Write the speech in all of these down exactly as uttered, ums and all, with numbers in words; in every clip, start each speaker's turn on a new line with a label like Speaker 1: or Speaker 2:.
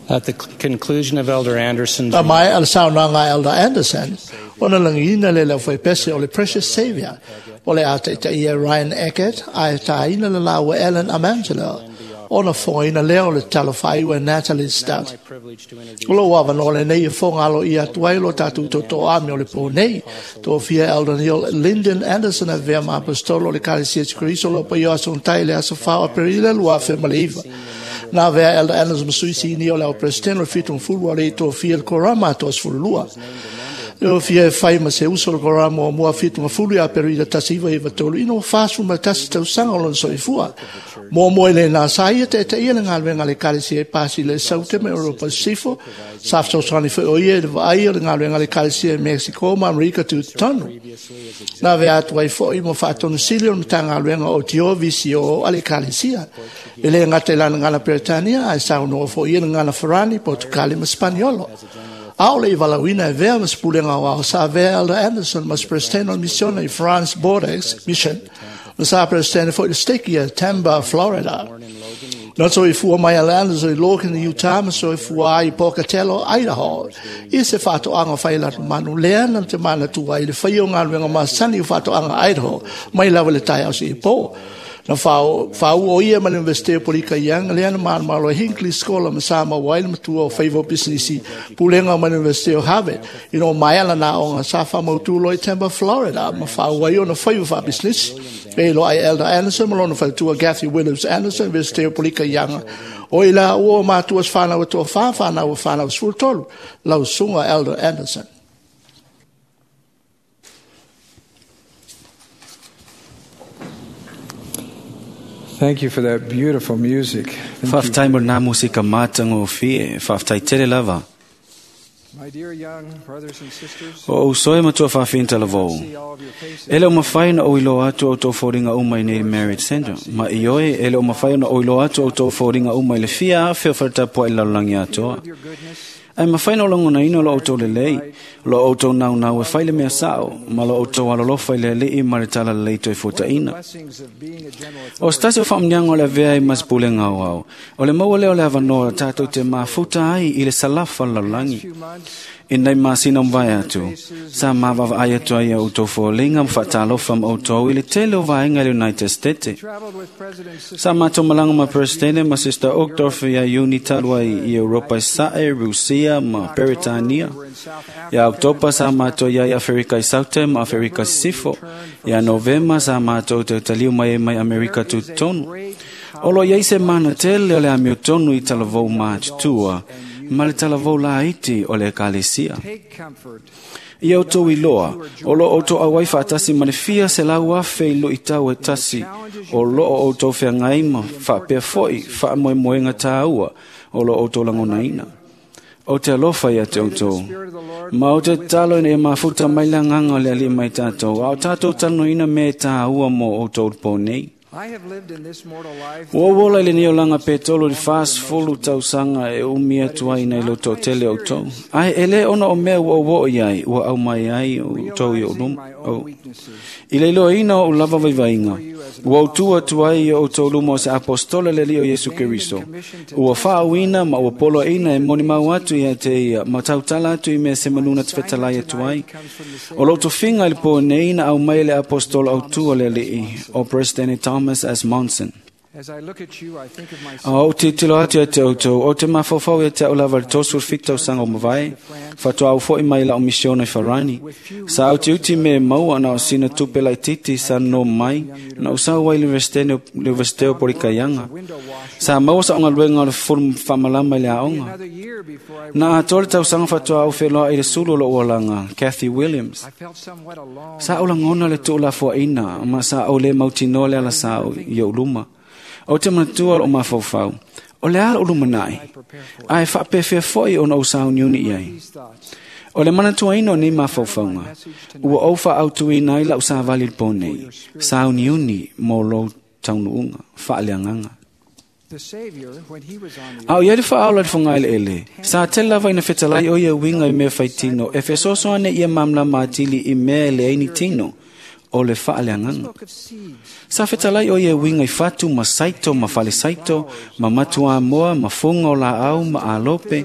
Speaker 1: At the conclusion of Elder Anderson's
Speaker 2: Na mai al saunoaga a Elder Anderson, ona lagiina le le aufaipese o le Precious Savior, o le a taitaia Ryan Eckert, ae tāina le laua Ellen Amangelo, ona fogaina lea o le tatalo faaiu e Natalie Stout.
Speaker 1: my privilege to introduce
Speaker 2: O lou avanoa lenei e foga aloaia atu ai lo tatou totoami o le pō nei. Tofia Elder Neil Lyndon Anderson avea ma apostolo o le Ekalesia Iesu Keriso o lo o paia o aso gatai i le aso fa o Aperila lua afe ma le iva. Na avea Elder Anderson ma sui sinia o le au Peresetene o le fitu ma fulu a le i tofia le Korama atoa sefululua. Le ofia e fai ma se uso o le Korama o mua fitu ma fulu i Aperila tasi iva iva tolu ina ua fasefulu ma le tasi tausaga o lona soifua. Muamua i lena sa ia taitaia le galuega a le Ekalesia e pasi i le Saute ma Europa Sisifo, sa fesoasoani foi o ia i le vaai o le galuega a le Ekalesia i Mexico ma Amerika Tutotonu. Na avea atu ai foi ma faatonu sili o le Matagaluega o Tio V C O a le Ekalesia. E le gata i lana gana Peretania, ae saunoa foi ia i le gana Farani, Portugali ma Spaniolo. A o le i valauina e vea ma se pulega o ao sa avea Elder Anderson ma se Presidente o le Misiona i France Bordeaux Mission, ma sa Presidente foi le stake ia Tampa, Florida. Na soifua mai Elder Anderson i Logan, Utah, ma soifua ai i Pocatello, Idaho. I se faatoaga fai latu manu lea na te manatua ai le faia o galuega masani o faatoaga Idaho, mai lava le taeao seia pō. Na fāua o ia ma le Universite o Polika Ianga lea na malomalo e Hinckley Scholar ma sa maua ai le matua o faiva o pisinisi pulega ma le Universite o Harvard. Ina o maea lana aoga sa faamautu loa i Tampa, Florida, ma faaua ai ona faiva faapisinisi. E iloa ai Elder Anderson ma lona faletua Kathy Williams Anderson, Universite o Polika Ianga. O i la ua o matua se whanau e toa whā, whanau o whanau sefulu tolu, lau susuga Elder Anderson.
Speaker 3: Thank you for that beautiful music. Thank you.
Speaker 4: Faafetai mo lena musika matagofie, faafetai tele lava.
Speaker 3: My dear young brothers and sisters,
Speaker 4: O uso e matua faafinta lavou.
Speaker 3: see all of your faces.
Speaker 4: E le o mafai ona ou iloa atu outou foliga uma i nei Marriage Center. Ma i oe, e le o mafai ona ou iloa atu outou foliga uma i le fia afe o faletapuai i le lalolagi atoa.
Speaker 3: Of your goodness,
Speaker 4: Ae mafai na o lagonaina lo outou lelei, lo outou naunau e fai le mea sao, ma lo outou alolofa i le alii ma le talalelei toe fuataina.
Speaker 3: blessings of being a general
Speaker 4: O se tasi o faamuniaga o le avea ai ma se pulega auau, o le maua lea o le avanoa tatou te mafuta ai i le salafa o le lalolagi.
Speaker 3: few months,
Speaker 4: I nei masina o mavae atu, sa mavaavaai atu ai ia outou foliga ma faatalofa ma outou i le tele o vaega i le United States.
Speaker 3: traveled with President Sister
Speaker 4: Sa matou malaga ma Presidente ma Sister Uchtdorf ia Iuni talu ai i Europa i Sae, Rusia ma Peretania.
Speaker 3: were in South Africa.
Speaker 4: Ia Oktopa sa matou ia i Aferika i Saute ma Aferika i Sisifo. Ia Novema sa matou te taliu mai ai mai Amerika Tutotonu. O lo iai se mana tele o le amiotonu i talavou matutua, ma le talavou laiti o le Ekalesia.
Speaker 3: Take comfort.
Speaker 4: Ia outou iloa, o lo outou auai faatasi ma le fia se lau afe i luitau e tasi, o lo o outou feagai ma faapea foi faamoemoega tāua o lo outou lagonaina. O te alofa ia te outou.
Speaker 3: Spirit of the Lord
Speaker 4: Ma o te tatalo ina ia mafuta mai le agaga o le alii mai tatou, a o tatou talanoina mea e tāua mo outou le pō nei.
Speaker 3: I have lived in this mortal life
Speaker 4: Ua ou ola i lenei olaga pe tolu i le fasefulu tausaga e umi atu ai nai lo toatele o outou. Ae e lē ona o mea ua ou oo i ai, ua aumai ai outou i ou
Speaker 3: realizing
Speaker 4: luma.
Speaker 3: my
Speaker 4: O.
Speaker 3: own weaknesses.
Speaker 4: I le iloaina o ou lava vaivaiga, ua ou tu atu ai i o outou luma o se apostola le alii o Iesu Keriso. Ua faauina ma ua poloaina e molimau atu ia te ia, ma tautala atu i mea se manuna te fetalai atu ai. O lou tofiga i le pō nei na aumai le apostolo autu o le alii, o President Thomas S. Monson.
Speaker 3: As I look at you, I think of
Speaker 4: A
Speaker 3: myself
Speaker 4: ou tilotilo atu ia te outou, o te mafaufau ia te au lava le tosu fitu tausaga o mavae, faatoa au foi mai lau misiona i Farani. Sa au tiuti me maua na o sina tupe laititi sa no mai, na o sau ai le Universite o Polikaianga.
Speaker 3: window washer.
Speaker 4: Sa maua sa ongaluega o le fulu whaamalama i le aoga.
Speaker 3: Another year before I,
Speaker 4: Na atoa le tausaga faatoa au wheloa i le sulu o lou olaga, Kathy Williams.
Speaker 3: I felt somewhat alone.
Speaker 4: Sa au lagona le tuulafoaina, ma sa au le mautinoa le ala sa au i ou luma. O te manatua o mafaufau, o le ala o lumanai, ae faapefea foi ona ou sauniuni i ai.
Speaker 3: These thoughts.
Speaker 4: O le manatuaina o nei mafaufauga, ua ou faautuina ai lau savali i le pō nei, sauniuni mo lou taunuuga, faaleagaga.
Speaker 3: The Savior, when he was on the
Speaker 4: A o ia le faaola le fogaeleele, sa tele lava ina fetalai o ia uiga i mea faitino, e fesoasoani ia mamlama atili i mea e leai ni tino, o le faaleagaga. Sa fetalai o ia uiga i fatu ma saito ma falesaito ma matuamoa ma fuga o laau ma alope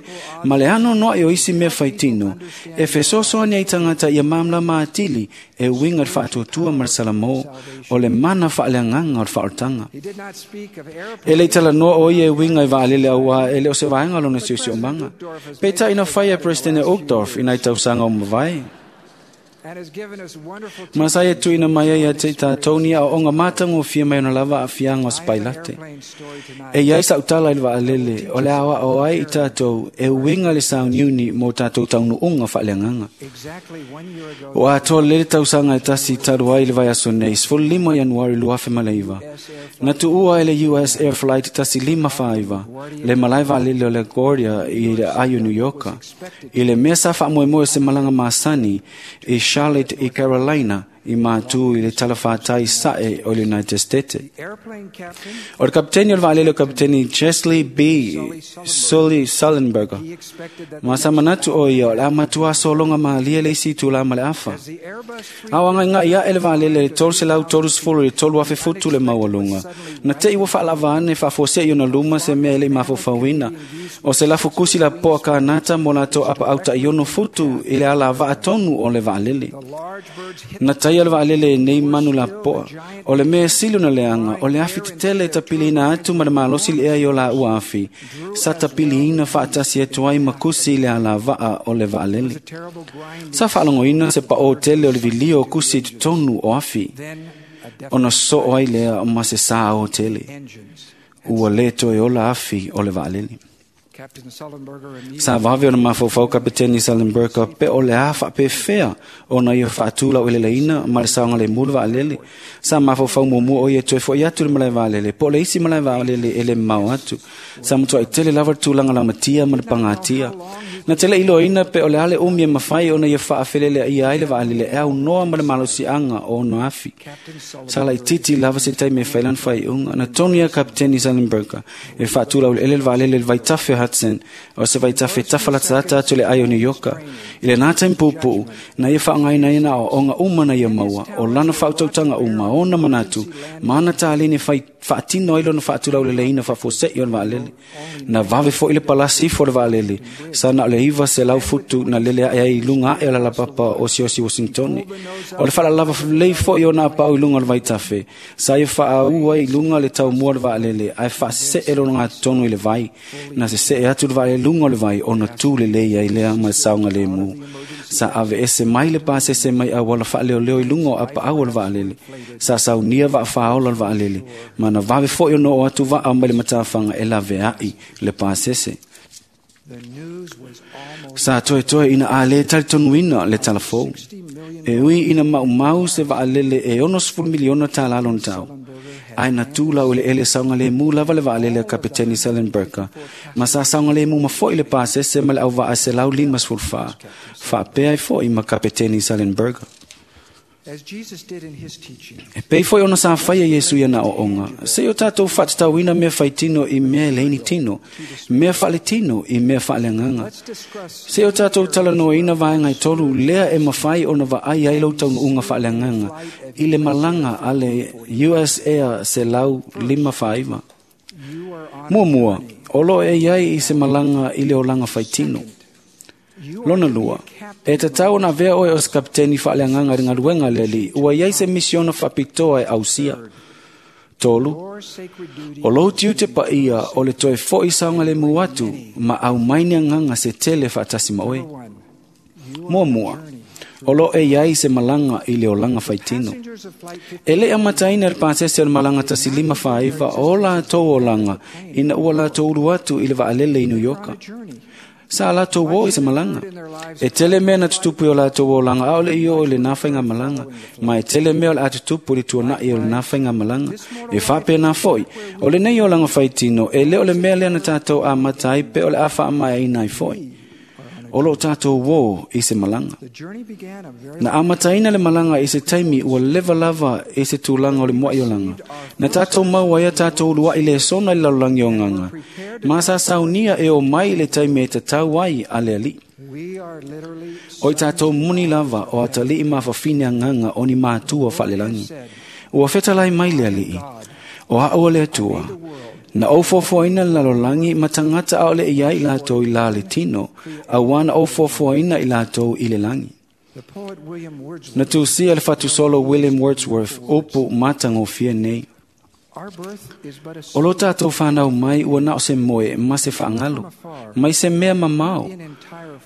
Speaker 4: ma le anoanoai o isi mea faitino e fesoasoani ai tagata ia malamalama atili e uiga i le faatuatua ma le salamo o le mana faaleagaga o le faaolataga. E le i talanoa o ia e uiga i vaalele auā e le o se vaega o lona siosiomaga. Peitai na faia e Peresetene Uchtdorf i nai tausaga o mavae. Ma sa ia tuuina mai ai ia te i tatou ni aoaoga matagofie mai ona lava aafiaga o se pailate. E iai saʻutala i le vaalele o le aoao ai i tatou e uiga le sauniuni mo tatou taunuuga faaleagaga. Ua atoa lelei le tausaga e tasi talu ai i le vaiaso nei, sefululima o Ianuari lua afe ma le iva. Na tuua ai le U S Air Flight tasi lima faaiva, le malae vaalele o le LaGuardia i le ai o New Yorka, i le mea sa faamoemoe o se malaga masani i Charlotte i Carolina i mātū i le talafātai sae o le United States. O le kapiteni o le vaalele o kapiteni Chesley B. Sully Sullenberger. Ma sa manatu o ia o le a matua sologa malie le isi itulā ma le afa. A o agaigai aʻe le vaalele le tolu selau tolusefulu i le tolu afe futu le maualuga. Na teʻi ua faalava ane faafuaseʻi ona luma se mea e leʻi mafaufauina. O se lafukusi lapoa kanata mo latou apaʻautaʻiono futu i le alavaa tonu o le vaalele. Na taia le vaalele e nei manu lapoa. O le mea sili ona leaga o le afi tetele e tapiliina atu ma le malosi le ea i o laua afi. Sa tapiliina faatasi atu ai ma kusi i le alavaa o le vaalele. Sa faalogoina se paʻō tele o le vilio o kusi i totonu o afi. Ona soo ai lea ma se sā o tele. Ua lē toe ola afi o le vaalele. Sa vave ona mafaufau kapiteni Sullenberger pe o le a faapefea ona ia faatulau eleleina ma le saogalemu le vaalele. Sa mafaufau muamua o ia toe foʻi atu le malae vaalele po o le isi malae vaalele e le mamao atu. Sa matuai tele lava le tulaga lamatia ma le pagatia. Na tele iloaina pe o le a le umi e mafai ona ia faafeleleaia ai le vaalele e aunoa ma le malosiaga o ona afi. Sa laititi lava se taimi e fai lana faaiuga. Na tonu ia kapiteni Sullenberger e faatulau eleele le vaalele i le vaitafe o Hudson o se vaitafe tafalatalata atu le ai o New Yorka. I lenā taimi puupuu, na ia faaaogaina ai na aoaoga uma na ia maua, o lana faautautaga uma, ona manatu, ma ana taleni e fai faatino ai lona faatulauleleina faafuaseʻi o le vaalele. Na vave foʻi le palasi ifo o le vaalele, sa na o le iva selau futu na lele aʻe ai i luga aʻe o le alapapa o siosi Washingtone. O le faalalava lelei foʻi ona apaʻau i luga o le vaitafe, sa ia faaau ai i luga le taumua o le vaalele, ae faasese lona gatotonu i le vai. Na seseʻe atu le vaalele luga o le vai ona tu lelei ai lea ma le saogalemu. Sa aveese mai le pasese mai auala faaleoleo i luga o apaau o le vaalele. Sa saunia vaafāola o le vaalele, ma na vave foʻi ona oo atu vaa mai le matafaga e laveaʻi le pasese. Sa toetoe ina a lē talitonuina le talafou. E ui ina maumau se vaalele e onosefulu miliona tālā lona tau. Ae na tulau eleele saogalemu lava le vaalele a kapiteni Sullenberger, ma sa saogalemu ma foʻi le pasese ma le auvaa selau limasefulu fā. Faapea ai foʻi ma kapiteni Sullenberger. E pei foʻi ona sa faia Iesu ia na aoaoga, seʻi o tatou faatatauina mea faitino i mea e leai ni tino, mea faaletino i mea faaleagaga. Seʻi o tatou talanoaina vaega e tolu lea e mafai ona vaai ai lou taunuuga faaleagaga i le malaga a le U S Air selau lima faaiva. Muamua, o loo e iai i se malaga i le olaga faitino. Lona lua, e tatau ona avea oe o se kapiteni faaleagaga i le galuega a le Alii, ua iai se misiona faapitoa e ausia. Tolu, o lou tiute paia o le toe foʻi saogalemu atu ma aumai ni agaga se tele faatasi ma oe. Muamua, o loo e iai se malaga i le olaga faitino. E leʻi amataina le pasese o le malaga tasi lima faaiva o latou olaga ina ua latou ulu atu i le vaalele i New Yorka. Sa latou o i se malaga. E tele mea na tutupu i o latou olaga aʻole i oo i lenā faigamalaga, ma e tele mea o le a tutupu i le tuanaʻi o lenā faigamalaga. E faapenā foʻi, o lenei olaga faitino, e lē o le mea lea na tatou amata ai pe o le a faamaeaina ai foʻi. O loo tatou uō i se malaga. Na amataina le malaga i se taimi ua leva lava i se tulaga o le moaʻi olaga. Na tatou maua ai a tatou uluaʻi lesona i le lalolagi o agaga, ma sa saunia e o mai i le taimi e tatau ai a le Alii. O i tātou muni lava o atalii mafafine anganga o ni mātua faalelangi. Ua fetalai mai le alii. O a'u o le Atua. Na ou fuafuaina le lalolagi ma tagata a'ole i ai i latou i la le tino, auā na ou fuafuaina i latou i le lagi. Na tusia le fatusolo William Wordsworth upu matagofie nei. O lo tātou whanau mai ua na o se moe ma se whaangalo, mai se mea mamao,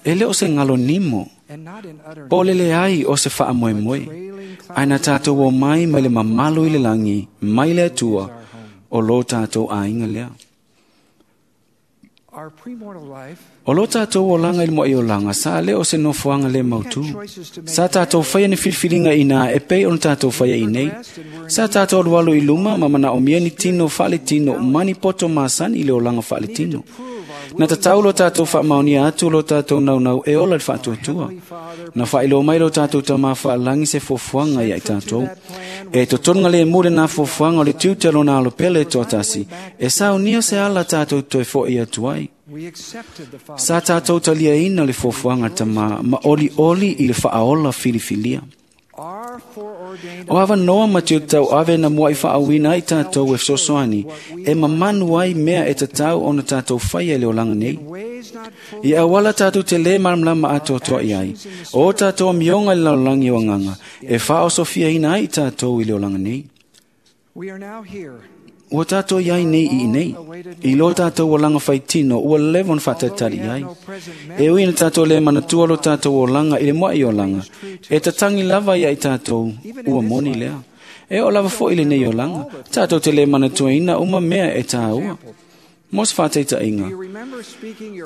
Speaker 4: e le o se ngalo nimo, po o lele ai o se whaamoe moe, ai na tātou o mai mai le mamalo i le langi, mai le Atua, o lo tātou ainga lea. O lo tātou o langa i le moe o langa, sa le o se nofoanga le mautu. Sa tātou whaia ni filfilinga ina e pei ona tātou whaia i nei. Sa tātou alualu i luma ma mana o mia ni tino whaale tino mani poto masani i le olanga whaale tino. Na tatau lo tātou whaamaonia atu lo tātou naunau e ola le whaatuatua. Na whailo mai lo tātou tamā whaalangi se fuafuaga ia i tātou. E totonga le mule nā fuafuaga o le tiute lona alo pele e toatasi. E saunia se ala tātou toe fo'i atu ai. Sa tātou taliaina le fuafuaga tamā ma oli oli i le whaaola filifilia. O awa noa ma te tau ave na mua i whaawina ai tātou e fesoasoani, e mamanu ai mea e tatau ona tātou whaia le olanga nei. I awala tātou te le maramlama atoatoa i ai. O tātou amionga i le lalolagi o anganga, e whaosofia ina ai tātou i le olanga nei. Ua tātou iai nei i nei. I lo tātou o langa whaitino, ua lewa ona whātatari ai. E ui na tātou le manatua lo tātou o langa i le moa i o langa. E tatangi lava ia i tātou, ua moni lea. E o lava fo i le nei o langa. Tātou te le manatua ina uma mea e tāua. Mos whāteita inga.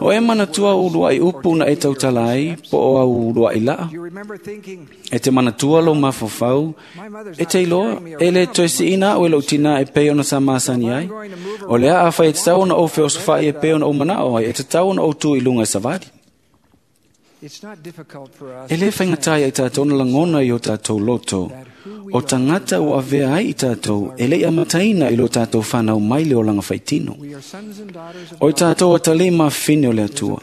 Speaker 4: O e manatua ulua i upu na e tautala ai, po o au ulua i laa. E te manatua lo mafofau, e te iloa, e le toe si ina o e lou tina e pei ona sa masani ai. O lea a whai e te tau ona o feosofai e pei ona o manao ai, e te tau ona o tu i lunga e savali. E le whaingatai ai tātou na langona i o tātou loto. O tangata o avea ai i tātou, e lei amataina i lo tātou whanau mai le olanga whaitino. O i tātou o tale mawhine o le Atua.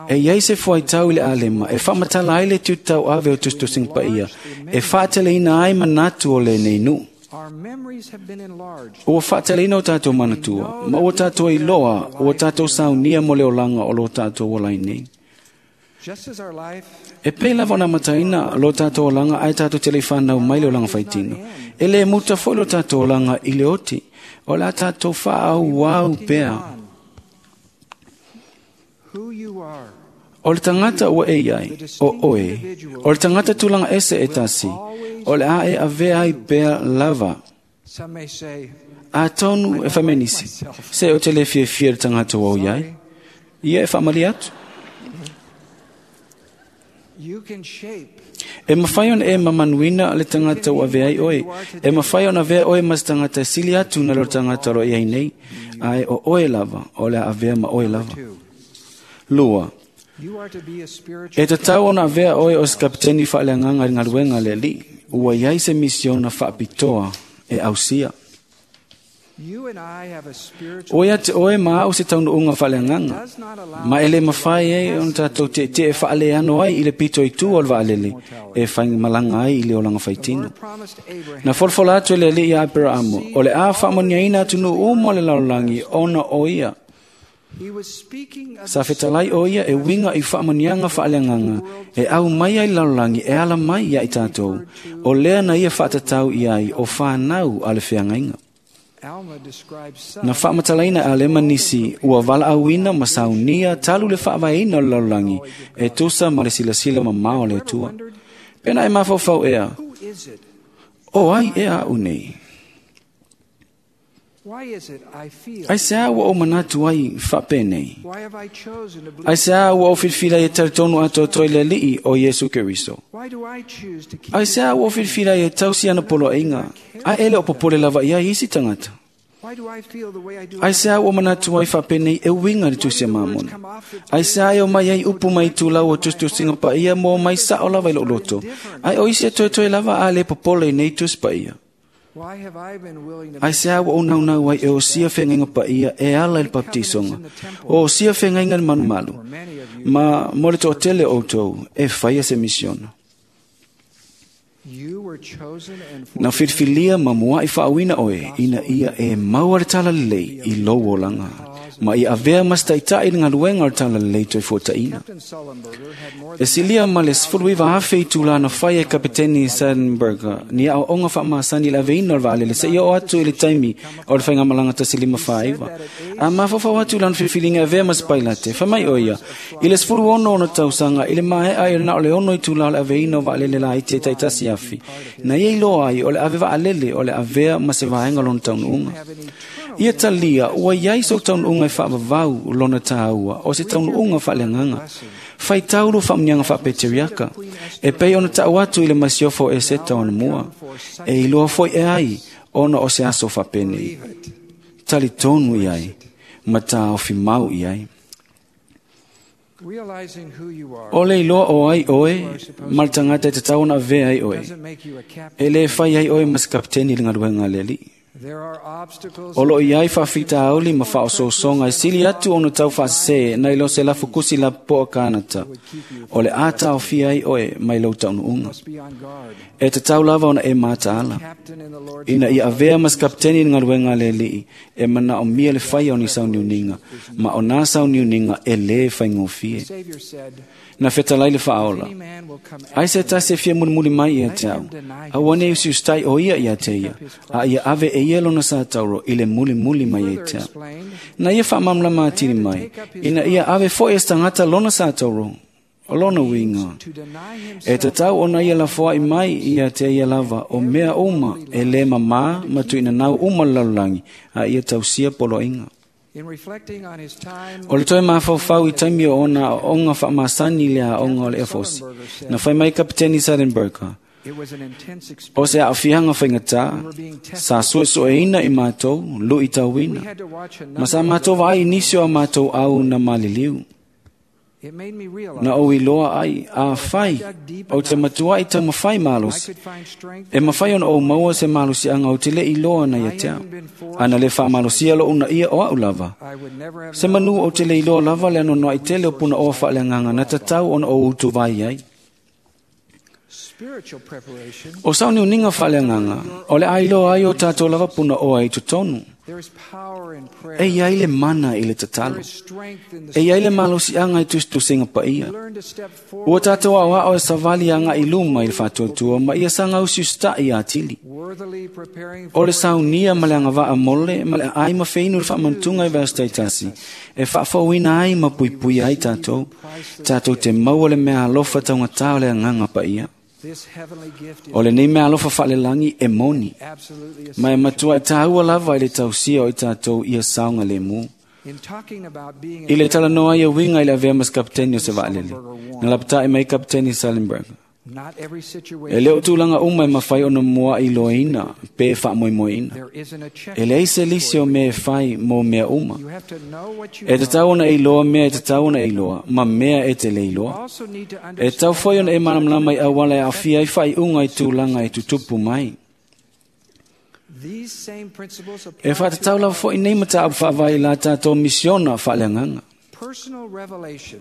Speaker 4: E iai se fuaitau i le alema, e whamatala ai le tutau ave o tustusinga paia, e whaateleina ai manatu o le nei nuu. Ua whaateleina o tātou manatua, ma o tātou i loa, o tātou saunia mo le olanga o lo tātou o lai nei. E pei lava ona mataina lo tātou olanga ai tātou te le whanau mai le olanga whaitino. E le muta fo lo tātou olanga i le oti. O la tātou whaau wau pea. O le tangata ua e iai, o oe. O le tangata tūlanga ese e tasi. O le a e avea ai pea lava. A tonu e whamenisi. Se o te le fiafia le tangata ua o iai. Ia e whamali atu. E mawhai ona e mamanuina le tangata ua avea ai oe. E mawhai ona avea oe mas tangata sili atu na lo tangata ro iai nei. Ae o oe lava, o le avea ma oe lava. Lua. E tatau ona avea oe o se kapiteni whaaleanganga i ngaluenga le li. Ua iai se misiona whaapitoa e ausia. O ia te oe ma au se taunuunga whaaleanganga. Ma ele mawhai e ona tātou te te e whaaleano ai i le pito i tu o le waalele e whaingamalanga ai i le olanga whaitino. Na folfola atu le li ia Aperamo, o le a whaamoniaina atu nu umo le lalolagi ona o ia. Sa fetalai o ia e winga i whaamonianga whaaleanganga e au mai ai lalolagi e ala mai ia i tātou. O lea na ia whaatatau i ai o whanau a le whiangainga. Na whaamatalaina a lema nisi ua wala auina ma saunia talu le whaavaina o le lalolagi e tusa ma le silasila ma mao le Atua. Pena e mafaufau ea, o ai ea au nei. Ai se a ua o manatu ai whapenei. Ai se a ua o filfila e taritonu atoatoa i le alii o Iesu Keriso. Ai se a ua o filfila e tausi ana poloaiga, a ele o popole lava ia isi tangata. Ai se a ua manatu ai whapenei e winga le tusi a mamona. Ai se a e o mai ai upu mai tūlau o tustusinga paia mo mai sao lava i lo loto. Ai o isi e toetoe lava a le popole i nei tusi paia. Ai se au o naunau ai e o sia whengainga pa ia e ala i le baptisonga. O sia whengainga le manumalu. Ma mo le toatele o tau e whaia se misiona. Na whirwhilia ma mua i whaawina oe ina ia e maua le tala lelei i lou olanga. Ma i avea mas taitai le ngaluenga o le tala lelei toi fuataina. E silia ma le sefuluiva afe i tūlana whai e kapiteni Sullenberger ni au onga whaamasani le aveina o le vaalele se ia o atu i le taimi o le whaingamalanga tasi lima whaaiva. A mawhawhau atu lana whiwhilinga avea mas pailate, whamai o ia, i le sefulu ono ono tausanga, i le mahea i le na o le ono i tūla o le aveina o vaalele la i te taitasi afi. Na ia iloa ai o le ave vaalele o le avea ma se vaenga lona taunuunga. Ia talia, ua iai so taunuunga e whaavavau lona tāua, o se taunuunga whaaleanganga. Whai taulu whaamnianga whaapeteriaka, e pei ona tau atu i le masiofo e seta ona mua, e iloa foi e ai, ona o se aso whaapenei. Tali tonu i ai, ma tāofi mau i ai. O le iloa o ai oe, ma le tangata e te tau ona avea ai oe. E le whai ai oe mas kapteni le ngaluenga le alii. O lo iai whaafita auli ma whaososonga e sili atu ono tau whaasese na ilo se lafukusi la poa kānata. O le ata o fia ai oe mai lau taunuunga. E te tau lava ona e mātaala. Ina i avea mas kapteni ngaluenga le alii e mana o mia le whai o ni sauniuninga, ma o nā sauniuninga e le whaingofie. Na whetalai le whaola. Ai se tasi e fia mulimuli mai ia te au. Au ane usi ustai o ia ia te ia. A ia ave e ia lona sa tauro i le mulimuli mai ia te au. Na ia whaamamlama atini mai. Ina ia ave fo e stangata lona sa tauro. O lona winga. E te tau ona ia la foai mai ia te ia lava o mea uma e le mamā matu ina nau uma lalolagi a ia tausia poloaiga. O le toe mafaufau i taimi o ona onga faamasani le aoga o le efosi. Na fai mai kapiteni Sullenberger. O se aafiaga faigatā, sa suesueina i matou, lui tauina. Ma sa matou vaai nisi o a matou au na maliliu. Na ou iloa ai, a fai, o te matua i taumafai malosi. E mafai ona ou maua se malosiaga o te le iloa na ia te au. Ana le faamalosia lou na ia o au lava. Se manu o te le iloa lava le anonoai tele o puna oa faaleagaga na tatau ona ou utuvai ai. O sauniuniga faaleagaga, o le ailoa ai o tatou lava puna oa i totonu. E iai le mana i le tatalo. E iai le malosiaga i tusitusiga paia. Ua tatou aoao e savali agaʻi luma i le faatuatua ma ia sagausiusitaʻi atili. O le saunia ma le agavaa mole ma le aai ma feinu le faamanatuga i vaasitaitasi e faafouina ai ma puipuia ai tatou. Tatou te maua le mea alofa taugatā o le agaga paia. O lenei mea alofa faalelagi e moni. Ma e matua e tāua lava i le tausia o i tātou ia saoga lemu. I le talanoa ia uiga i le avea ma se kapiteni o se vaalele. Na lapataʻi mai kapiteni Sullenberger. E le o tulaga uma e mafai ona muaʻi loaina pe faamoemoeina. E leai se lisi o mea e fai mo mea uma. E tatau ona e iloa mea e tatau ona e iloa, ma mea e te le iloa. E tatau foi ona e malamalama i auala e aafia ai faaiuga i tulaga e tutupu mai. E faatatau lava foʻi nei mataupu faavae i la tatou misiona faaleagaga.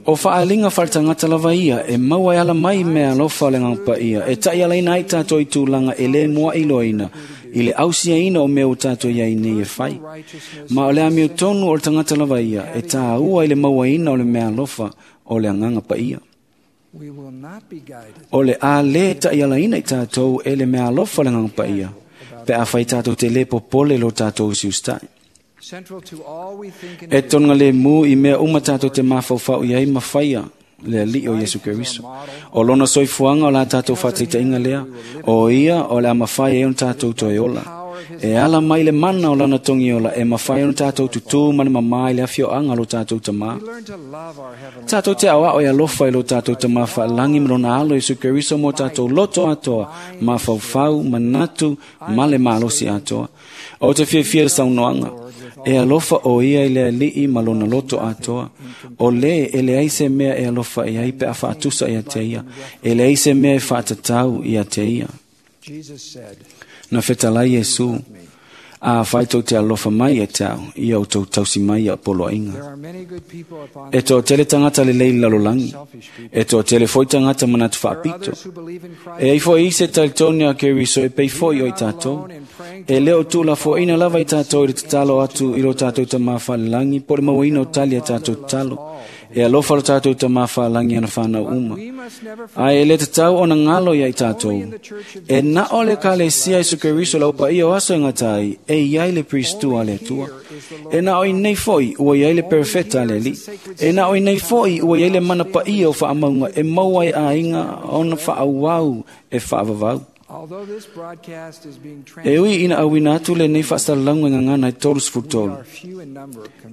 Speaker 4: O faaliga faaletagata lava ia e maua e ala mai mea alofa o le agaga paia e taʻialaina ai tatou i tulaga e lē muaʻi loaina i le ausiaina o mea ua tatou iai nei e fai. Ma o le amio tonu o le tagata lava ia e tāua i le mauaina o le mea alofa o le agaga paia. O le a lē taʻialaina i tatou e le mea alofa o le agaga paia pe a fai tatou te lē popole lo tatou usiusitaʻi. E tonuga lemu i mea uma tatou te mafaufau i ai ma faia le alii o Iesu Keriso. O lona soifuaga o la tatou faataitaiga lea, o ia o le a mafai ai ona tatou toe ola. E ala mai le mana o lana togiola e mafai ona tatou tutū ma le mamā i le afioaga lo tatou tamā. Tatou te aoao e alofa i lo tatou tamā faalagi ma lona alo Iesu Keriso mo tatou loto atoa, mafaufau, manatu, ma le malosi atoa. O te fiafia le saunoaga. E alofa o ia i le alii ma lona loto atoa. O le e leai se mea e alofa i ai pe a faatusa ia te ia. E leai se mea e faatatau ia te ia. Na fetalai Iesu, a fai tou te alofa mai e te au, ia o tou tausi mai ia poloaiga. E toa tele tagata lelei i lalolagi, e toa tele foi tagata manatu faapito. E ai foi isi e talitonu ia Keriso e pei foi o i tatou. E le o tuulafoaina lava i tatou i le tatalo atu i lo tatou Tamā Falelagi po o le mauaina o tali a tatou tatalo. E alofa lo tatou Tamā Falelagi ana whanau uma. Ae e le tatau ona ngalo ia i tatou. E na o le Ekalesia Iesu Keriso lau paia o aso e ngatai, e iai le pristu a le Atua. E na o i nei foi ua iai le perfeta a le Alii. E na o i nei foi ua iai le mana paia o whaamaunga e maua ai aiga ona whaauau e whaavavau. E ui ina auina atu le nei whaasalalauga e ngangana e tolu sefulu tolu.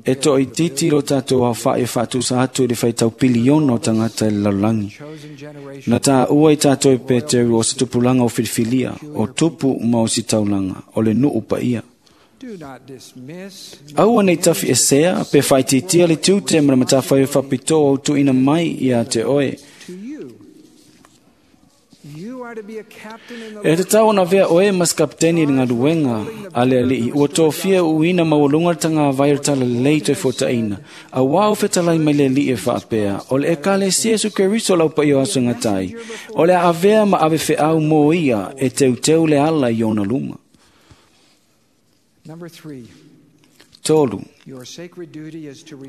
Speaker 4: E toa itiiti lo tatou aofa'i e faatusa atu i le faitau piliona o tagata i le lalolagi. Na tāua i tatou e Peteru o se tupulaga o filifilia, o tupu ma o sitaulaga, o le nuu paia. Aua nei tafi esea pe whaititia le tiute ma le matawhai o whapitoa o tuina mai ia te oe. E te tau ona vea oe mas kapteni i ngā luenga a le alii, ua tōfia uina maualunga le tanga vai o tala lei toe fōtaina. A wau fetalai mai le alii e whaapea, o le Ekalesia Iesu Keriso lau paia o aso ngatai, o le avea ma ave feau mō ia e teuteu le ala i ona luma. Tolu,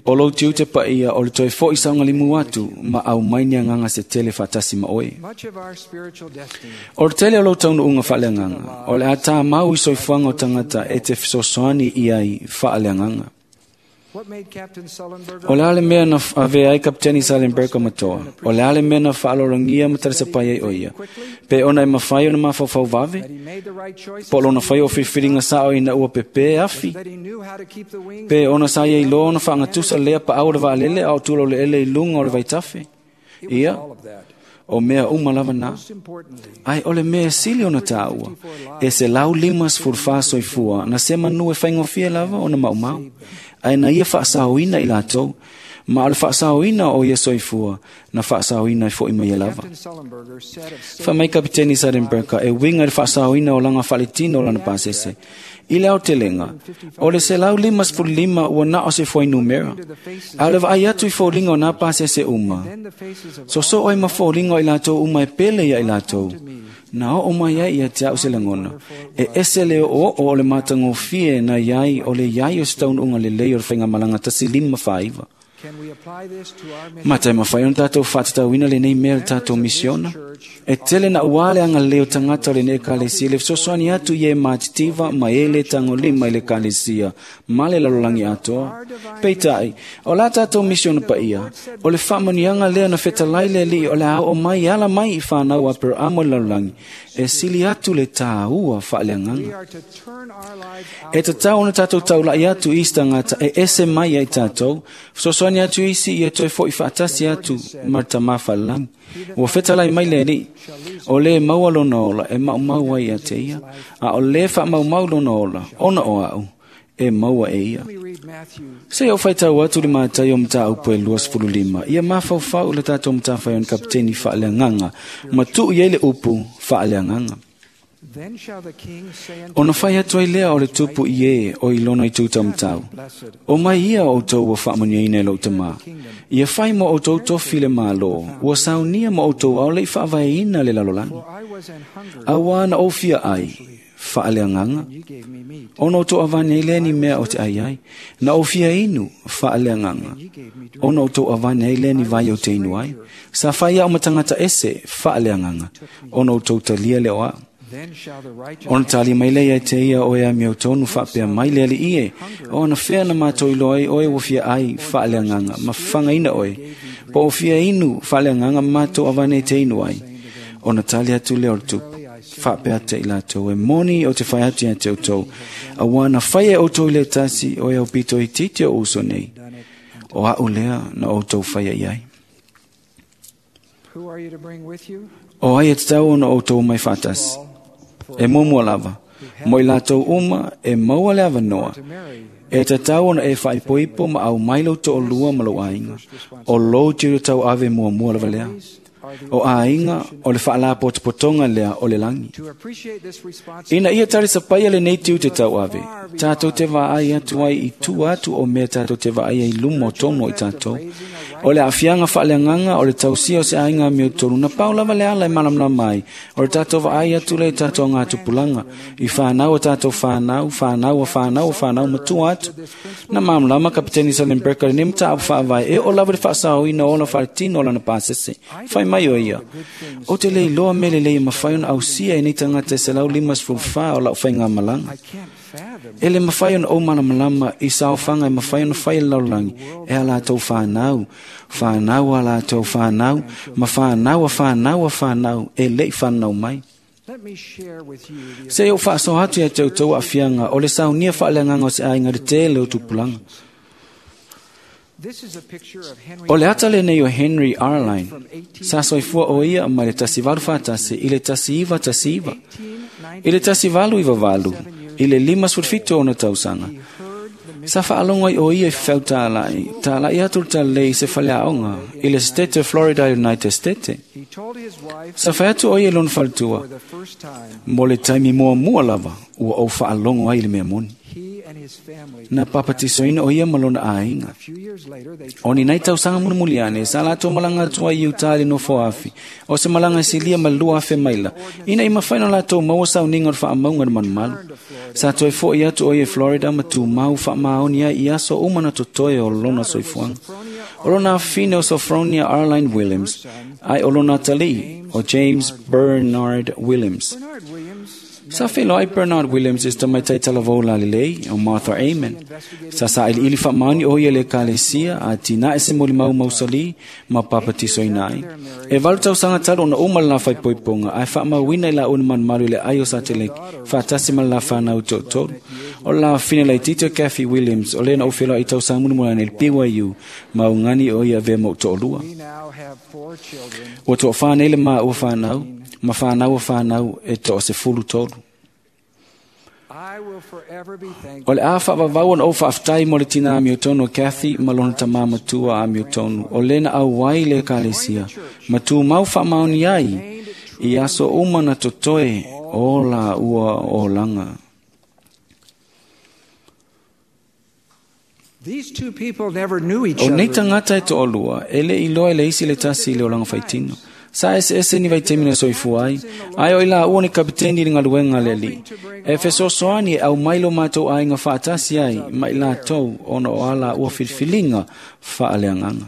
Speaker 4: o lou tiute paia o le toe fo'i saogalimu atu ma au mai ni agaga se tele faatasi ma oe. O le tele o lou taunuuga faaleagaga, o le a tāmau i soifuaga o tagata e te fesoasoani i ai faaleagaga. O le a le mea na avea ai Kapiteni Sullenberger matoa, o le a le mea na faalologia ma talisapai ai o ia, pe ona e mawhai o na mafaufau vave, po o lona whai o whiwhiringa sao ina ua pepe afi, pe ona sa ia iloa ona whaangatusa lea pa au le vaalele a o tula o le ele i lunga o le vaitafe. Ia, o mea uma lava na. Ai o le mea sili ona tāua, e se lau lima sefulufa soifua, na se manu e whaingofia lava ona maumau. Ai na ia whaasaoina i lātou, ma o le whaasaoina o ia soifua, na whaasaoina i fo i mai lava. Wha mai Kapiteni Sullenberger e winga le whaasaoina o langa whaletino o lana pasese. I le aotelenga, o le se lau lima sefulu lima ua na o se foi numera. A le vaai atu i fōlinga o nā pasese uma. So so oi ma fōlinga o i lātou uma e pele ia i lātou. Na o o mai ai ia te au se langona. E ese le o o o le matangofie na iai o le iai o se taununga le lei o le whainga malanga tasi lima whaiva. Mata e mawhai ona tātou whātatauina le nei mea le tātou misiona. E tele na uale anga leo tangata o le nei ekalesia le fesoasoani atu i e mātitiva ma e le tagolima i le ekalesia ma le lalolagi atoa. Peitai, o la tātou misiona paia, o le faamanuiaga lea na fetalai le Alii o le a oo mai ala mai i whanau a Aperamo i le lalolagi, e sili atu le tāua faaleagaga. E tatau ona tātou taulai atu i isi tagata e ese mai ai tātou, fesoasoani atu isi ia toe fo'i faatasi atu ma le Tamā Falelagi. Ua fetalai mai le Alii, o le maua lona ola e maumau ai ia te ia, a o le faamaumau lona ola, ona o au, e maua e ia. Se o whaitau atu le mātai o mata upu e lua sefulu lima, ia mafaufau le tātou matawhai o ni kapiteni faaleagaga, ma tuu i ai le upu faaleagaga. Ona whai atu ai lea o le tupu i e o i lona i tūtau matau. O mai ia o outou ua faamanuiaina e lou tamā. Ia whai mo outou tofi le mālō, ua saunia mo outou ao le i faavaeina le lalolagi. Auā na ofia ai, faaleagaga, ona outou avane ai lea ni mea o te ai ai, na ofia inu, faaleagaga, ona outou avane ai lea ni vai o te inu ai, sa whai au matangata ese, faaleagaga, ona outou talia le oa. Ona tali mai lea ia te ia oe a miau tonu whaapea mai le ali ie, o ana whea na mātou iloa ai oe ua fia ai faaleagaga, ma whangaina oe, po o fia inu faaleagaga mātou avane te inu ai. Ona tali atu lea o le tupu, whaapea te i lātou e moni o te whai atu ia te outou, a wana whai e outou i le tasi o e au pito i titi o uso nei, o au lea na outou whai ai ai. O ai e te tau ona outou mai whaatasi. E mumua lava, mo i lātou uma e maua le avanoa. E tatau ona e whaipoipo ma au mai lau to'olua ma lou aiga. O lou tiute tau ave muamua lava lea. O aiga o le faalapotopotoga lea o le lagi. Ina ia talisapaia lenei tiute tauave, tatou te vaai atu ai i tua atu o mea tatou te vaai ai i luma o tonu o i tatou. O le aafiaga faaleagaga o le tausia o se aiga amiotonu na pau lava le ala e malamalama ai o le tatou vaai atu lea i tatou agatupulaga i fanau o tatou fanau, fanau a fanau a fanau matua atu. Na malamalama Kapiteni Sullenberger lenei mataupu faavae e oo lava le faasaoina o ona faaletino o lana pasese. Fai mai o ia, o te le iloa mea lelei e mafai ona ausia e nei tagata e selau lima sefulu fa o lau faigamalaga. E le mafai ona ou malamalama i saofaga e mafai ona fai e le lalolagi e a latou fanau, fanau a latou fanau, ma fanau a fanau a fanau e le'i fanau mai. Se i ou faasoa atu ia te outou aafiaga o le saunia faaleagaga o se aiga i le tele o tupulaga. O le ata lenei o Henry Arline, sa soifua o ia mai le tasi valu fatasi i le tasi iva tasi iva, i le tasi valu iva valu, i le lima sefulu fitu ona tausaga. Sa faalogo ai o ia i fefau tāla'i, tāla'i atu le talalei i se faleaoga i le State of Florida United States. Sa fai atu o ia i lona faletua, mo le taimi muamua lava ua ou faalogo ai i le mea moni. Na papatisoina o ia ma lona aiga. O ni nai tausaga mulimuli ane, sa latou malaga atu ai i Utah i le nofo afi, o se malaga e silia ma le lua afe maila, ina i mafai ona latou maua sauniga o le faamauga i le malumalu. Sa toe fo'i atu o ia i Florida ma tumau faamaoni ai i aso uma na totoe o lona soifuaga. O lona afine o Sophronia Arline Williams, ai o lona atalii o James Bernard Williams. Sa feloai Bernard Williams i se tamaitai talavou lalelei o Martha Amen. Sa sailiili faamaoni o ia i le ekalesia a tinae se molimau mausali ma papatisoina ai. E valu tausaga talu ona uma le la faaipoipoga ae faamauina i laua na malumalu i le ai o Sateleki faatasi ma le la fanau toatolu. O le la afine laitiiti o Kathy Williams o lea na ou feloai i tausaga mulimuli ane i le B Y U ma ugani o ia avea ma ou toalua. Ua toafā nei le maua fanau, ma fanau a fanau e toa sefulu tolu. O le a faavavau ona ou faafetai mo le tina amiotonu o Kathy ma lona tamā matua amiotonu o lena auai i le ekalesia ma tumau faamaoni ai i aso uma na totoe o la ua olaga. O nei tagata e toalua e le iloa i le isi le tasi i le olaga faitino. Sa eseese ni vaitaimi na soifua ai, ae o i laua ni kapiteni i le galuega a le alii. E fesoasoani e aumai lo matou aiga faatasi ai ma i latou ona o a laua filifiliga faaleagaga.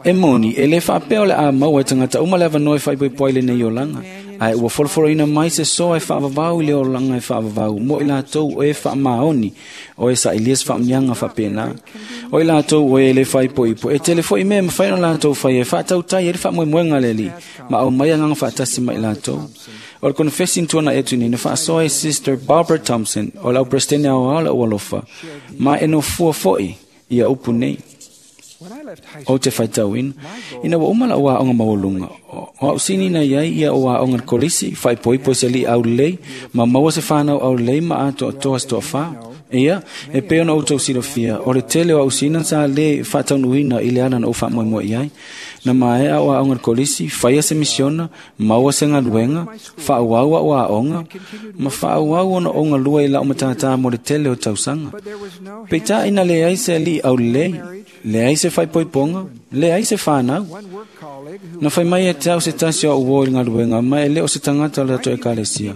Speaker 4: E moni, e le faapea o le a maua e tagata uma le avanoa e faaipoipo ai lenei olaga, ae ua folofoloina mai se soa e faavavau i le olaga e faavavau mo i latou o e faamaoni, o e sailia se faamanuiaga faapena. O i latou o e le faaipoipo, e tele fo'i mea e mafai ona latou faia e faatautai ai le faamoemoega a le Alii, ma aumai agaga faatasi ma i latou. O le konefesi na tuana'i atu nei na faasoa e Sister Barbara Thompson o le auperesetene aoao le aualofa, ma e nofua fo'i ia upu nei. O te faitauina, ina ua uma lau aoga maualuga, o au sini na iai ia o aoga le kolisi, faaipoipo i se alii aulelei, ma maua se fanau aulelei ma atoatoa se toafā. Ia, e pei ona outou silafia, o le tele o au sina sa le faataunuuina i le ala na ou faamoemoe i ai. Na maea o aoga le kolisi, faia se misiona, maua se galuega, faaauau au aoga, ma faaauau ona ou galue i lau matātā mo le tele o tausaga. Peitai na leai se alii aulelei, leai se faaipoipoga, leai se fanau. Na fai mai e te au se tasi o au uo i le galuega, ma e le o se tagata o le tatou ekalesia.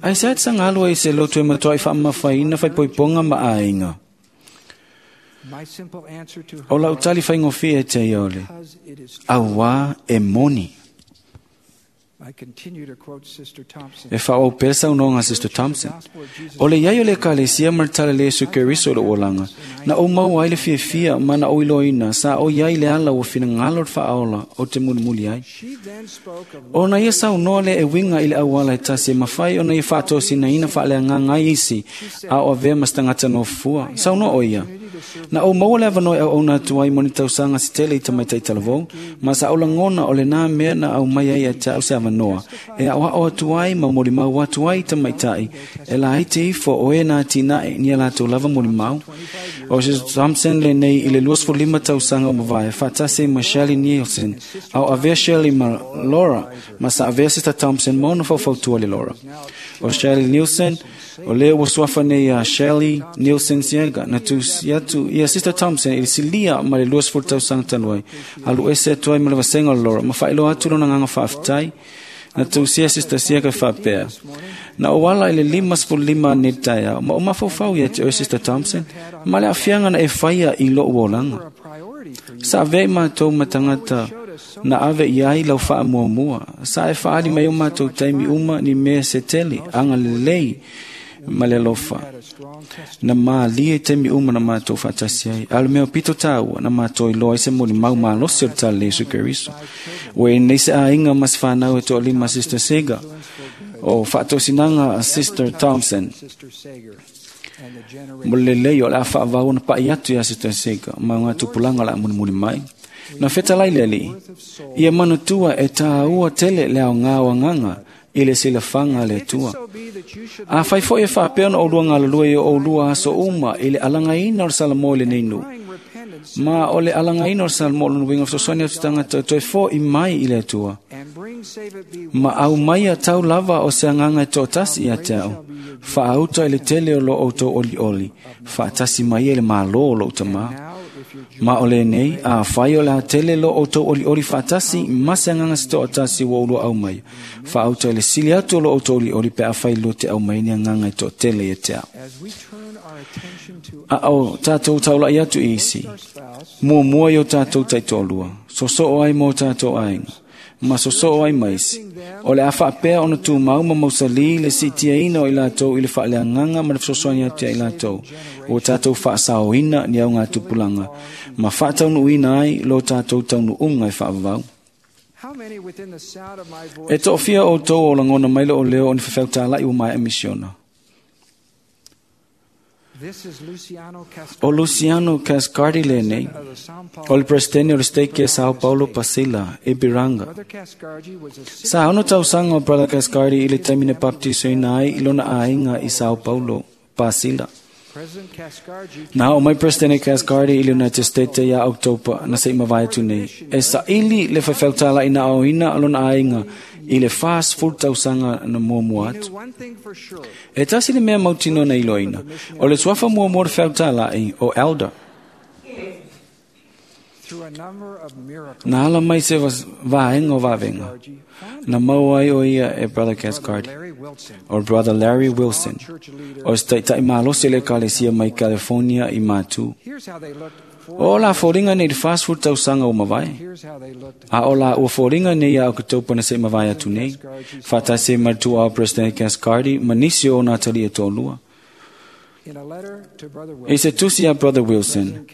Speaker 4: Ae se a te saga alu ai i se lotu e matuai faamamafaina faaipoipoga ma aiga. O lau tali faigofie e te ia o le, auā e moni. E faaauau pea le saunoaga a Sister Thompson. O le iai o le ekalesia ma le talalei e Iesu Keriso i lou olaga, na ou maua ai le fiafia ma na ou iloaina sa o iai le ala ua finagalo le faaola o te mulimuli ai. Ona ia saunoa lea e uiga i le auala e tasi e mafai ona ia faatosinaina faaleagaga ai isi a o avea ma se tagata nofua. Saunoa o ia, na ou maua le avanoa e auauna atu ai mo ni tausaga se tele i tamaitai talavou, ma sa ou lagona o lenā mea na aumai ai ia te au se avanoa avanoa e a'oa'o atu ai ma molimau atu ai i tamaitai e laiti ifo o e na atinae ni a latou lava molimau. O Sister Thompson lenei i le luasefululima tausaga o mavae faatasi ai ma Shirley Nielsen a o avea Shirley ma Laura ma sa avea Sister Thompson ma ona faufautua le Laura. O Shirley Nielsen o lea ua suafa nei ia Shirley Nielsen Siega na tusi atu ia Sister Thompson i le silia ma le luasefulu tausaga talu ai alu ese atu ai ma le vasega o le Laura ma faailoa atu lona agaga faafetai na tusia Sister Siega faapea na o ala i le limasefululima nei le taeao ma o mafaufau ia te oe Sister Thompson ma le aafiaga na e faia i lo'u olaga. Sa avea i matou ma tagata na ave i ai lau faamuamua sa e faaali mai o matou taimi uma ni mea se tele aga lelei ma le alofa na malie i taimi uma na matou faatasi ai a o le mea pito tāua na matou iloa ai se molimau malosi o le tala le Iesu Keriso. Ua i nei se aiga ma se fanau e toalima Sister Sega o faatosinaga a Sister Thompson mo le lelei o le a faavau ona pa'i atu iā Sister Sega ma o gatupulaga o le a mulimuli mai. Na fetalai le Alii ia manatua e tāua tele le aogā o agaga i le silafaga a le Atua. Afai foi e faapea ona oulua galulue i o oulua aso uma i le alagaina o le Salamo i lenei nuu, ma o le alagaina o le Salamo o lona uiga fesoasoani atu tagata toe fo'i mai i le Atua, ma aumaia tau lava o se agaga e to'atasi ia te a'u, faauta i le tele o lo outou olioli, faatasi mai ai le mālō o lo'u tamā. Ma o lenei, afai o le a tele lo outou olioli faatasi ma se agaga se to'atasi ua oulua aumaia, faauta i le sili atu o lo outou olioli pe afai lua te aumai ni agaga e to'atele ia te a'u. A o tatou taula'i atu i isi, muamua i o tatou taitoalua, soso'o ai mo tatou aiga, ma soso'o ai ma isi. O le a faapea ona tumau ma mausalī le siitiaina o i latou i le faaleagaga ma le fesoasoani atu ia i latou, ua tatou faasaoina ni augatupulaga, ma faataunuuina ai lo tatou taunuuga e faavavau. E to'afia outou o lagona mai le o leo o ni fefeutala'i ua maea misiona. O Luciano Cascardi lenei, o le presidente o le stake e São Paulo Pasila, Ipiranga. Sa ono tausaga o Brother Cascardi i le taimi na baptisoina ai i lona aiga i São Paulo Pasila. Na o mai Presidente Cascardi i le United States ia October na se'i mavae atu nei. E sa'ili le faifeutala'i na aoina lona aiga i le fasefulu tausaga na muamua atu. E tasi le mea mautinoa na iloaina, o le suafa muamua o le feutala'i o Elder. Na ala mai se vaega o vavega, na maua ai o ia e Brother Cascardi, o Brother Larry Wilson, o se ta'ita'i malosi o le ekalesia mai California i Matū. O la foliga nei i le fasefulu tausaga ua mavae, a o la ua foliga nei ia Oketopa na se'i mavae atu nei, faatasi ai ma le tuuao President Cascardi ma nisi o ona atalii e toalua. I se tusi a Brother Wilson,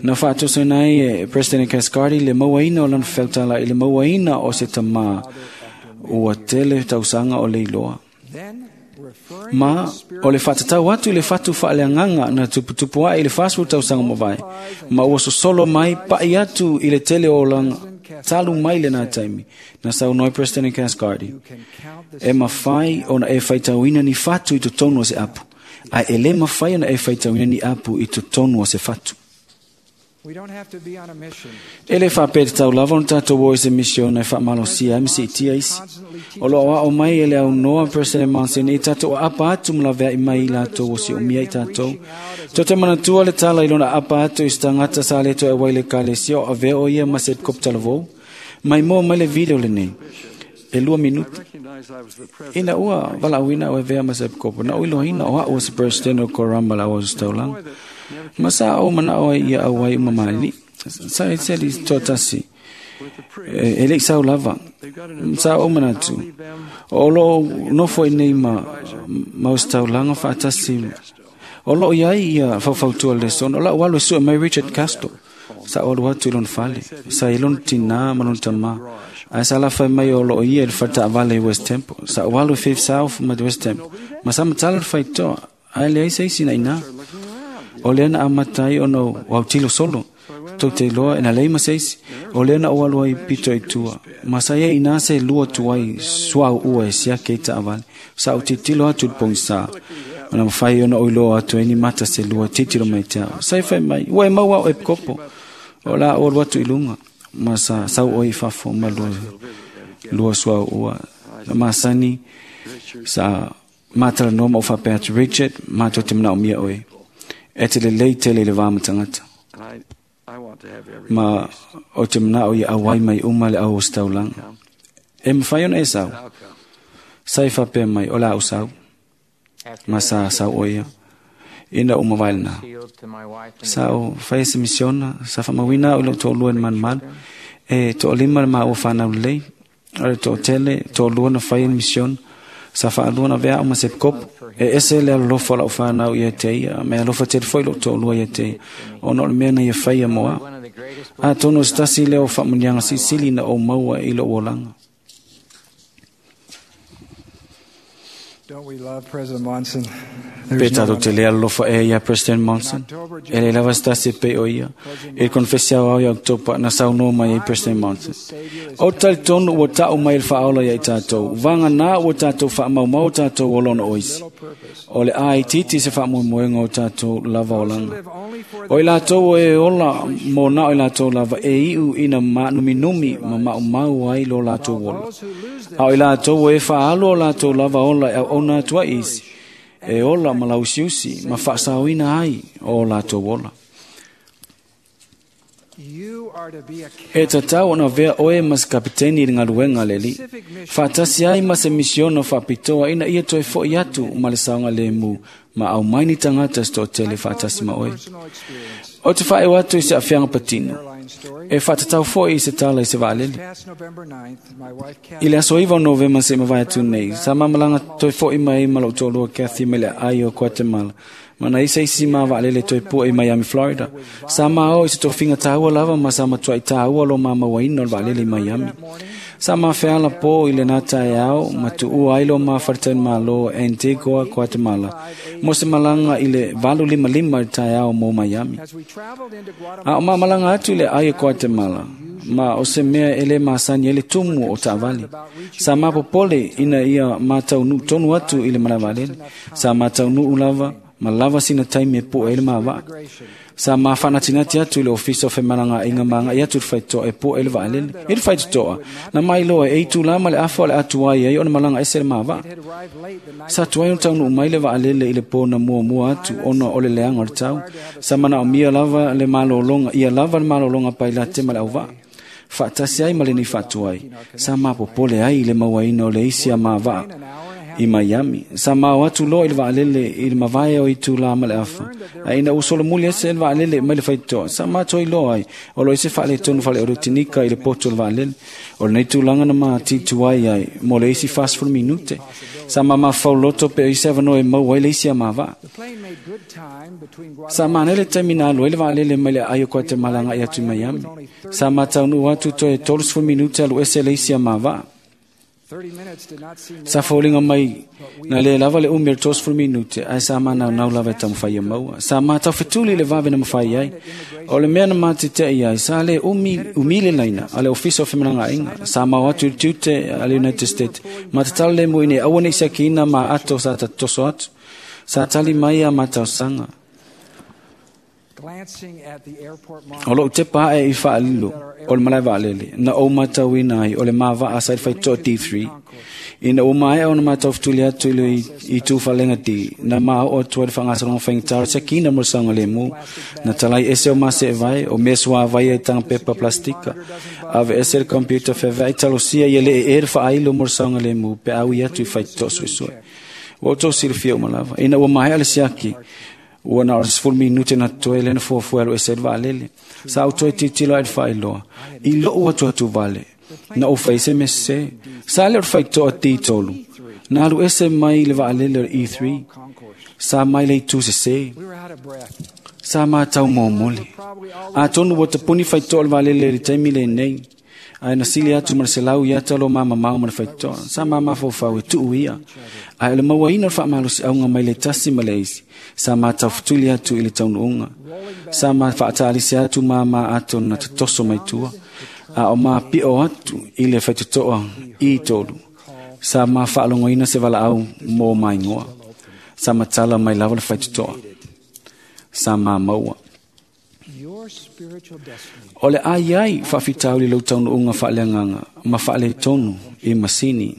Speaker 4: na faatosaina ai e President Cascardi le mauaina o lana feutala'i i le mauaina o se tamā ua tele tausaga o le iloa. Ma o le faatatau atu i le fatu faaleagaga na tuputupu a'i i le fasefulu tausaga mavae, ma ua sosolo mai pa'i atu i le tele o olaga talu mai lenā taimi, na saunoa ai President Cascardi, e mafai ona e faitauina ni fatu i totonu o se apu, ae e lē mafai ona e faitauina ni apu i totonu o se fatu. E lē faapea tatau lava ona tatou o i se misiona e faamalosia ai ma siitia isi. O loo aoao mai e le aunoa President Monson i tatou aapa atu ma lavea'i mai i latou o siomia i tatou. Tou te manatua le tala i lona aapa atu i se tagata sa le toe auai i le ekalesia o avea o ia ma se helikopitalavou. Mai moa mai le video lenei. E lua minuti. Ina ua valaauina o avea ma se epikopo, na ou iloaina o a'u o se presidente o Korama la o taulaga. Ma sa o mana'o ai ia auai uma maali'i. Sa e seli to'atasi. E, e le'i sau lava. Sa ou manatu. O loo nofo i nei ma, ma o se taulaga faatasi. O loo iai ia faufautua le lesona. O la'u alu e su'e mai Richard Castro. Sa o alu atu i lona fale. Sa i lona tinā ma lona tamā. Ae sa lafa mai o loo ia i le fale taavale i West Temple. Sa o alu i Fifth South ma West Temple. Ma sa matala le faitoa. Ae leai se isi na inā. O lea na amata ai ona o autilo solo. tou te iloa e na lei ma se isi o lea na ou alu ai pito i tua ma sa ia ina se lua tuai suauua e siake i taavale sa ou tilotilo atu i le pogisā ma na mafai ona ou iloa atu ai ni mata se lua tilotilo mai te au sa e fai mai ua e maua au e kopo o la ou alu atu i luga ma sa sau oe i fafo ma lua lua suauua na masani sa matalanoa ma ou faapea atu Richard matou te manaomia oe e te lelei tele i le va ma tagata ma o te manao ia auai mai uma le au ositaulaga e mafai ona e sau sa e faapea mai o la au sau ma sa sau oe ia ina uma vai lena sa o fai se misiona sa faamauina au i lou toalua i le malumalu e toalima le maua fanau lelei o le toatele toalua na fai le misiona sa faalua na vea au ma se kopo e ese le alolofa o lau fanau ia te ia me alofa tele foi lou toalua ia te ia ona o le mea na ia faia mo au atonu o se tasi lea o faamuniaga silisili na ou maua i lou olaga.
Speaker 3: Don't we love President Monson?
Speaker 4: Pe
Speaker 3: There's no
Speaker 4: tatou
Speaker 3: one
Speaker 4: te le alolofa e ia President Monson e le lava se tasi e pei o ia e le konfesi au au ia Oktopa na saunoa mai ai President Monson o talitonu ua ta'u mai le faaola ia i tatou vaganā ua tatou faamaumau tatou olona o isi o le aititi se faamoemoega o tatou lava olaga o i latou o e ola mo na o i latou lava e iu ina maanuminumi ma maumau ai lo latou ola a o i latou o e faaalu o latou lava ola e auauna atu ai isi e ola ma lausiusi ma faasaoina ai o latou ola.
Speaker 3: You are to be a
Speaker 4: E tatau ona vea oe ma se kapiteni i le galuega a le Alii. Faatasi ai ma se misiona faapitoa ina ia toe fo'i atu ma le saogalemu ma aumai ni tagata se toatele faatasi ma oe.
Speaker 3: personal experience.
Speaker 4: O te faaeu atu i se aafiaga patino.
Speaker 3: Airline story.
Speaker 4: E faatatau fo'i i se tala i se vaalele.
Speaker 3: Past November ninth, my wife
Speaker 4: I le
Speaker 3: Kathy
Speaker 4: aso iva o Novema se mavae atu nei, sa mamalaga toe fo'i mai ma lou toalua Kathy mai le aai o Guatemala. Ma na isa isi ma vaalele toe pua i Miami, Florida. Sa mao i se tofiga tāua lava ma sa matuai tāua lo mamauaina o le vaalele i Miami. Sa mafeala po i le nata e ao, ma tuua ai lo mafaletani malo Antigua, Guatemala. Mo se malaga i le valu lima lima i le taeao mo Miami.
Speaker 3: as we traveled into
Speaker 4: A o
Speaker 3: Guatemala
Speaker 4: mamalaga atu i le ai e Guatemala, ma o se mea e le masani ai le tumu o taavale. Sa mapopole ina ia mataunuu tonu atu i le malavalele. Sa mataunuu lava, ma lava sina taimi e pue ai le mavaa. Sa mafanatinati atu i le ofisa o femalagaaiga ma agai atu i le faitotoa e pue ai le vaalele. I le faitotoa, na mailoa e itulā ma le afa o le atuai ai ona malaga ese le mavaa.
Speaker 3: had arrived late the night
Speaker 4: Sa tuai ona taunuu mai le vaalele i le pō na muamua atu ona o le leaga o le tau. Sa manaomia lava le malologa, ia lava le malologa pailate ma le auvaa. Faatasi ai ma lenei faatuai. Sa mapopole ai i le mauaina o le isi a mavaa i Miami. Sa mao atu loa i le vaalele i le mavae o itulā ma le afa. A ina ua solomuli ese le vaalele mai le faitotoa. Sa matoi loa ai o lo ese faaletonu faleoretinika i le poto o le vaalele. O lenei tulaga na matituai ai mo le isi fasefulu minute. Sa mamafau loto pe o isi avanoa e maua ai le isi a mavaa.
Speaker 3: The plane made good time between
Speaker 4: Sa
Speaker 3: Guatemala
Speaker 4: mana le taimi na alu ai le vaalele mai le aai o Guatemala agai atu i Miami. Sa mataunuu atu toe tolusefulu minute alu ese le isi a mavaa.
Speaker 3: thirty minutes did not seem
Speaker 4: Sa foliga mai na le lava le umi o le tolusefulu minute ae sa manaunau lava e taumafai ia maua. Sa mataufetuli i le vave na mafai ai. O le mea na matite'i ai, sa le umi, umi le laina a le ofisa o femalagaaiga. Sa mao atu i le tiute a le United States. Ma tatalo le mu ina ia aua nei siakiina ma ato sa tatoso atu. Sa tali mai a matausaga.
Speaker 3: glancing at the airport
Speaker 4: O lou tepa ae i faalilo o le malae vaalele na ou matauina ai o le mavaa sa i le faitotoa D three. Ina ua maea ona mataufetuli atu i le i tufalega D, na maoo atu ai le faagasologa faigata o le siakiina mo le saogalemu. Na talai ese o maseevae, o mea suavai ai taga pepa plastika. Ave ese le computer feveai talosia ia le ee le faailo mo le saogalemu pe a ui atu i faitotoa suesue. Ua outou silafia uma lava. Ina ua maea le siaki, ua na o le sefulu minute na totoe lea na fuafua e alu ese ai le vaalele. Sa ou toe tilotilo ai le faailoa. I lou atu atu vale, na ou fai se mea sesē. Sa lea o le faitotoa D tolu. Na alu ese mai le vaalele o le E three.
Speaker 3: concourse.
Speaker 4: Sa mai le itu sesē.
Speaker 3: We were out of breath.
Speaker 4: Sa matau momoli. Atonu ua tapuni faitotoa o le vaalele i le taimi lenei. Ae na sili atu ma le selau ia ata lo mamamao ma le faitotoa. Sa ma mafaufau e tuu ia. Ae o le mauaina o le faamalosiauga mai le tasi ma le isi. Sa ma taufetuli atu i le taunuuga. Sa ma faatalisi atu ma ma ato na tatoso mai tua. A o ma pio atu i le faitotoa i tolu. Sa ma faalogoina se valaau mo maingoa. Sa matala mai lava le faitotoa. Sa ma maua.
Speaker 3: Your spiritual destiny
Speaker 4: O le ai ai faafitauli lou taunuuga faaleagaga ma faaletonu i masini.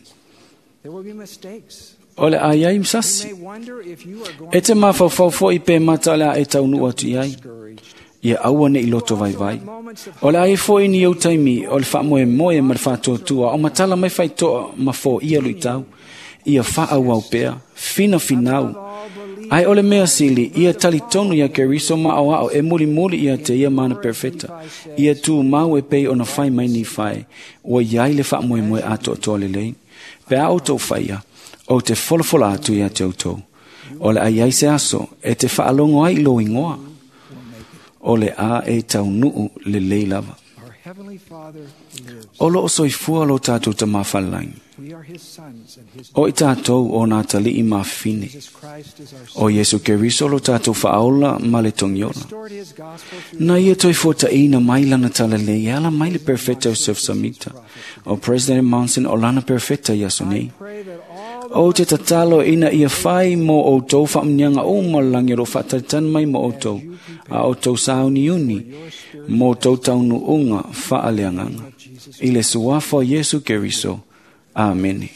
Speaker 3: There will be mistakes.
Speaker 4: O le ai ai
Speaker 3: You
Speaker 4: masasi.
Speaker 3: may wonder if you are going
Speaker 4: E te mafaufau foi pe mata o le a e taunuu atu i ai.
Speaker 3: discouraged.
Speaker 4: Ia aua ne i loto vaivai. O le ai foi ni au taimi o le faamoemoe ma le faatuatua o matala mai faitoa ma foia luitau. Ia faaauau pea, finafinau. Ai o le mea sili, ia talitonu ia Keriso ma o ao e mulimuli ia te ia mana perfeta. Ia tu mau e pei ona fai mai ni fai, ua iai le faamoemoe atoatoa lelei. Pe a outou faia, o te folafola atu ia te outou. O le ai ai se aso, e te faalogo ai i lou igoa. O le a e taunuu lelei lava.
Speaker 3: Our Heavenly Father lives.
Speaker 4: O loo soifua lo tātou tamāwhalalangi.
Speaker 3: We are His sons and His
Speaker 4: O i tātou o nā tali'i mafine.
Speaker 3: Jesus Christ is our
Speaker 4: O Yesu Keriso lo tātou whaaola ma le tongiola.
Speaker 3: restored His gospel through
Speaker 4: Na ia toi fuataina mai lana talalei, e ala mai le perfecta o Joseph Samita. O President Monson o lana perfecta ia aso nei.
Speaker 3: pray that all
Speaker 4: O te tatalo ina ia whai mō outou whaamnianga o malangi o whaataritan mai mō outou, a outou sauni uni, mō tou taunuunga whaaleanganga. I le suafa o Yesu Keriso. Amene.